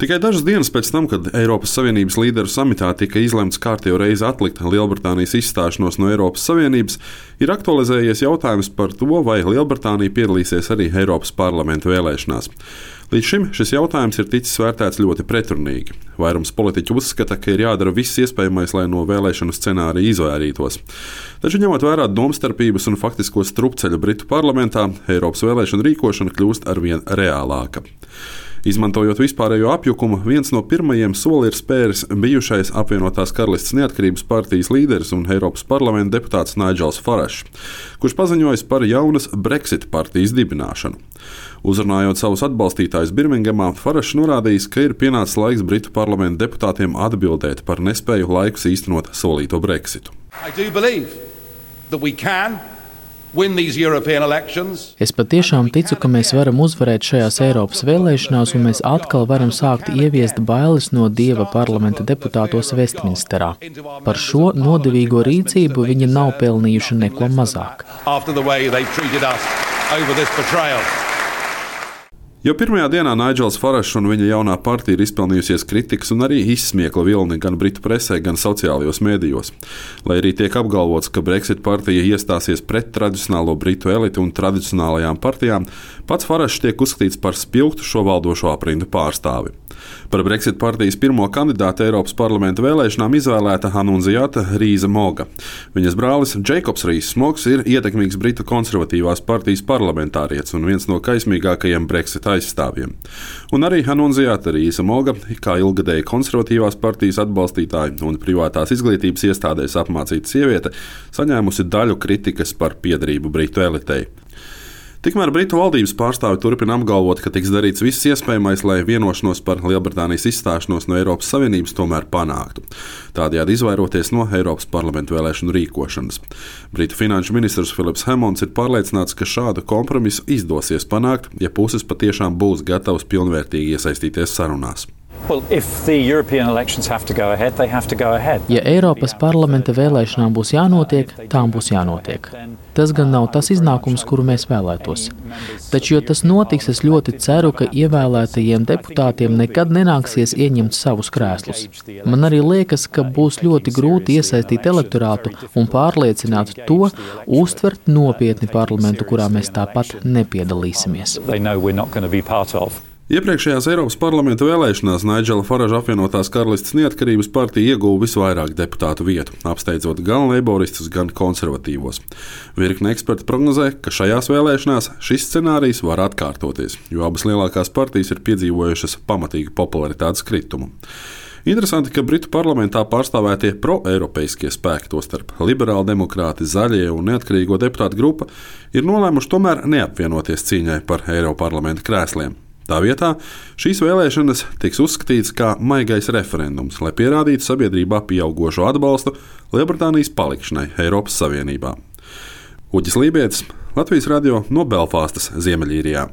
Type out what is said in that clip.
Tikai dažas dienas pēc tam, kad Eiropas Savienības līderu samitā tika izlemts kārtējo reizi atlikt Lielbritānijas izstāšanos no Eiropas Savienības, ir aktualizējies jautājums par to, vai Lielbritānija piedalīsies arī Eiropas parlamenta vēlēšanās. Līdz šim šis jautājums ir ticis vērtēts ļoti pretrunīgi. Vairums politiķu uzskata, ka ir jādara viss iespējamais, lai no vēlēšanu scenārija izvairītos. Taču, ņemot vērā domstarpības un faktisko strupceļu Britu parlamentā, Eiropas vēlēšanu rīkošana kļūst arvien reālāka. Izmantojot vispārējo apjukumu, viens no pirmajiem soli ir spēris bijušais apvienotās Karalistes neatkarības partijas līderis un Eiropas parlamenta deputāts Nigels Farages, kurš paziņojis par jaunas Brexit partijas dibināšanu. Uzrunājot savus atbalstītājus Birmingemā, Farages norādījis, ka ir pienācis laiks Britu parlamenta deputātiem atbildēt par nespēju laikus īstenot solīto Brexitu. Es patiešām ticu, ka mēs varam uzvarēt šajās Eiropas vēlēšanās, un mēs atkal varam sākt ieviest bailes no Dieva parlamenta deputātos Vestminsterā. Par šo nodevīgo rīcību viņi nav pelnījuši neko mazāk. Jau pirmajā dienā Nigels Farages un viņa jaunā partija ir izpelnījusies kritikas un arī izsmiekla vilni gan britu presē, gan sociālajos mēdījos. Lai arī tiek apgalvots, ka Brexit partija iestāsies pret tradicionālo britu elitu un tradicionālajām partijām, pats Farages tiek uzskatīts par spilgtu šo valdošo aprindu pārstāvi. Par Brexit partijas pirmo kandidātu Eiropas parlamenta vēlēšanām izvēlēta Anunziata Rīza Moga. Viņas brālis Džeikobs Rīzs Mogs ir ietekmīgs britu konservatīvās partijas parlamentārietis un viens no kaismīgākajiem Brexit aizstāvjiem. Un arī Anunziata Rīza Moga, kā ilgadēja konservatīvās partijas atbalstītāja un privātās izglītības iestādēs apmācīta sieviete, saņēmusi daļu kritikas par piederību britu elitei. Tikmēr Britu valdības pārstāvi turpina apgalvot, ka tiks darīts viss iespējamais, lai vienošanos par Lielbritānijas izstāšanos no Eiropas Savienības tomēr panāktu, tādējādi izvairoties no Eiropas parlamenta vēlēšanu rīkošanas. Britu finanšu ministrs Philips Hammonds ir pārliecināts, ka šādu kompromisu izdosies panākt, ja puses patiešām būs gatavas pilnvērtīgi iesaistīties sarunās. Ja Eiropas parlamenta vēlēšanām būs jānotiek, tām būs jānotiek. Tas gan nav tas iznākums, kuru mēs vēlētos. Taču, ja tas notiks, es ļoti ceru, ka ievēlētajiem deputātiem nekad nenāksies ieņemt savus krēslus. Man arī liekas, ka būs ļoti grūti iesaistīt elektorātu un pārliecināt to, uztvert nopietni parlamentu, kurā mēs tāpat nepiedalīsimies. Iepriekšējās Eiropas parlamenta vēlēšanās Nigela Faraža apvienotās Karalistes neatkarības partija ieguva visvairāk deputātu vietu, apsteidzot gan leiboristus, gan konservatīvos. Virkne eksperti prognozē, ka šajās vēlēšanās šis scenārijs var atkārtoties, jo abas lielākās partijas ir piedzīvojušas pamatīgu popularitātes kritumu. Interesanti, ka Britu parlamentā pārstāvētie pro-eiropeiskie spēki, tostarp liberāli demokrāti, zaļie un neatkarīgo deputātu grupa, ir nolēmuši tomēr neapvienoties cīņai par Eiroparlamenta krēsliem. Tā vietā šīs vēlēšanas tiks uzskatītas kā maigais referendums, lai pierādītu sabiedrībā pieaugošo atbalstu Lielbritānijas palikšanai Eiropas Savienībā. Uģis Lībietis, Latvijas radio no Belfastas, Ziemeļīrijā.